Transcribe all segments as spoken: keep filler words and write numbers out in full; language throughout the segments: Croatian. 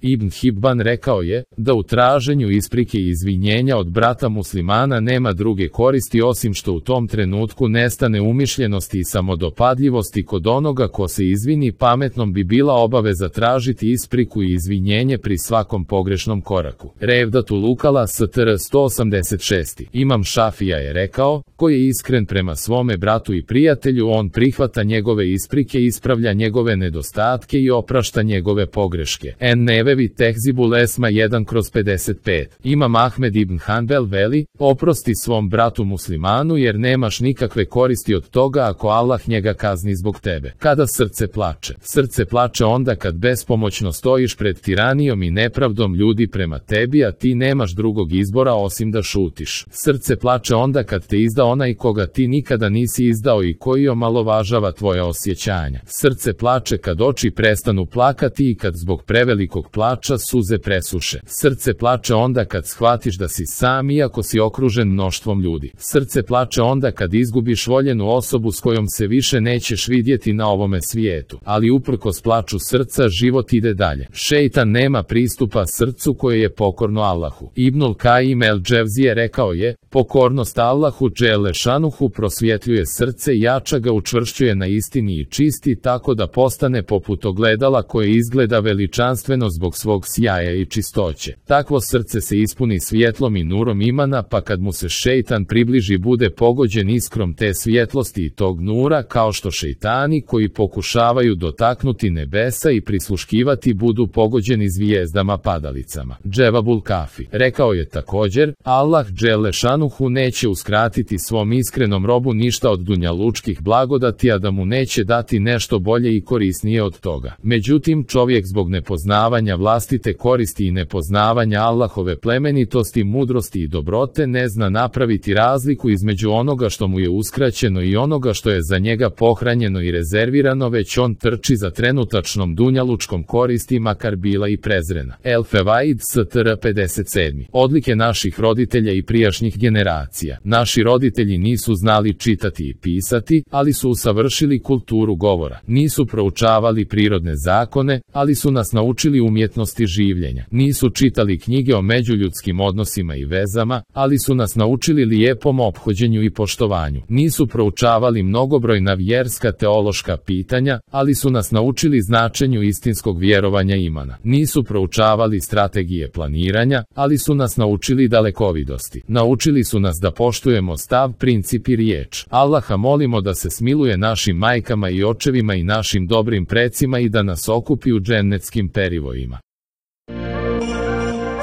Ibn Hibban rekao je, da u traženju isprike i izvinjenja od brata muslimana nema druge koristi osim što u tom trenutku nestane umišljenosti i samodopadljivosti kod onoga ko se izvini. Pametnom bi bila obaveza tražiti ispriku i izvinjenje pri svakom pogrešnom koraku. Revdatul Ukala str. sto osamdeset šest. Imam Šafija je rekao, ko je iskren prema svome bratu i prijatelju, on prihvata njegove isprike, ispravlja njegove nedostatke i oprašta njegove pogreške. En Nevevi Tehzibul Esma jedan kroz pedeset pet. Imam Ahmed ibn Hanbel veli, oprosti svom bratu muslimanu jer nemaš nikakve koristi od toga ako Allah njega kazni zbog tebe. Kada srce plače? Srce plače onda kad bespomoćno stojiš pred tiranijom i nepravdom ljudi prema tebi, a ti nemaš drugog izbora osim da šutiš. Srce plače onda kad te izda onaj koga ti nikada nisi izdao i koji omalovažava tvoja osjećanja. Srce plače kad oči prestanu plakati i kad zbog prevelikog plača suze presuše. Srce plače onda kad shvatiš da si sam iako si okružen mnoštvom ljudi. Srce plače onda kad izgubiš voljenu osobu s kojom se više nećeš vidjeti na ovome svijetu. Ali uprkos plaču srca život ide dalje. Šejtan nema pristupa srcu koje je pokorno Allahu. Ibnul Kajim el Dževzije rekao je, pokornost Allahu dželle šanuhu prosvjetljuje srce i jača ga, učvršćuje na istini i čisti tako da postane poput ogledala koje izgleda veličanstveno zbog svog sjaja i čistoće. Takvo srce se ispuni svjetlom i nurom imana, pa kad mu se šejtan približi bude pogođen iskrom te svjetlosti i tog nura, kao što šejtani koji pokušavaju dotaknuti nebesa i prisluškivati budu pogođeni zvijezdama padalicama. Dževabul Kafi rekao je također, Allah dželle šanuhu neće uskratiti svom iskrenom robu ništa od dunjalučkih blagodati, a da mu neće dati nešto bolje i korisnije od toga. Međutim, čovjek zbog nepoznavanja vlastite koristi i nepoznavanja Allahove plemenitosti, mudrosti i dobrote ne zna napraviti razliku između onoga što mu je uskraćeno i onoga što je za njega pohranjeno i rezervirano, već on trči za trenutačnom dunjalučkom koristi makar bila i prezrena. El Fevaid str. pedeset sedam. Odlike naših roditelja i prijašnjih generacija. Naši roditelji nisu znali čitati i pisati, ali su usavršili kulturu govora. Nisu proučavali prirodne zakone, ali su nas naučili umjetnosti življenja. Nisu čitali knjige o međuljudskim odnosima i vezama, ali su nas naučili lijepom ophođenju i poštovanju. Nisu proučavali mnogobrojna vjerska teološka pitanja, ali su nas naučili značenju istinskog vjerovanja imana. Nisu proučavali strategije planiranja, ali su nas naučili dalekovidosti. Naučili su nas da poštujemo stav, princip i riječ. Allaha molimo da se smiluje našim majkama i očevima i našim dobrim precima i da nas okupi u džennetskim perivojima.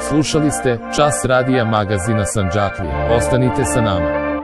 Slušali ste Čas radija magazina Sandžaklija. Ostanite sa nama.